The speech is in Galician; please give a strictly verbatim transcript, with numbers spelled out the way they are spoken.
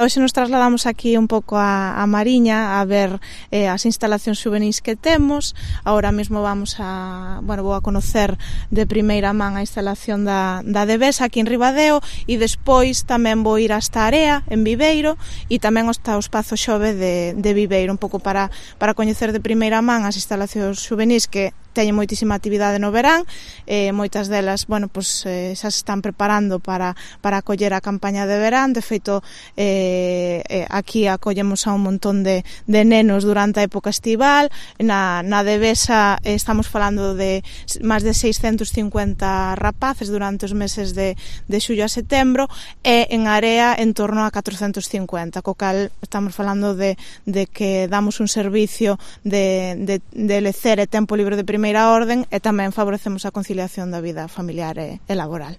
Hoxe nos trasladamos aquí un pouco a, a Mariña a ver eh, as instalacións xuvenís que temos. Ahora mesmo vamos a, bueno, vou a conocer de primeira man a instalación da, da Devesa aquí en Ribadeo e despois tamén vou ir hasta Area, en Viveiro, e tamén hasta o Espazo Xove de, de Viveiro, un pouco para, para coñecer de primeira man as instalacións xuvenís que teñen moitísima actividade no verán, eh, moitas delas, bueno, pues, eh, xa se están preparando para, para acoller a campaña de verán. De feito, eh, eh, aquí acollemos a un montón de, de nenos durante a época estival. Na, na Devesa eh, estamos falando de máis de seiscentos cincuenta rapaces durante os meses de, de xullo a setembro, e en Area en torno a catrocentos cincuenta, co cal estamos falando de, de que damos un servicio de, de, de lecer e tempo libre de primeira orde, e tamén favorecemos a conciliación da vida familiar e, e laboral.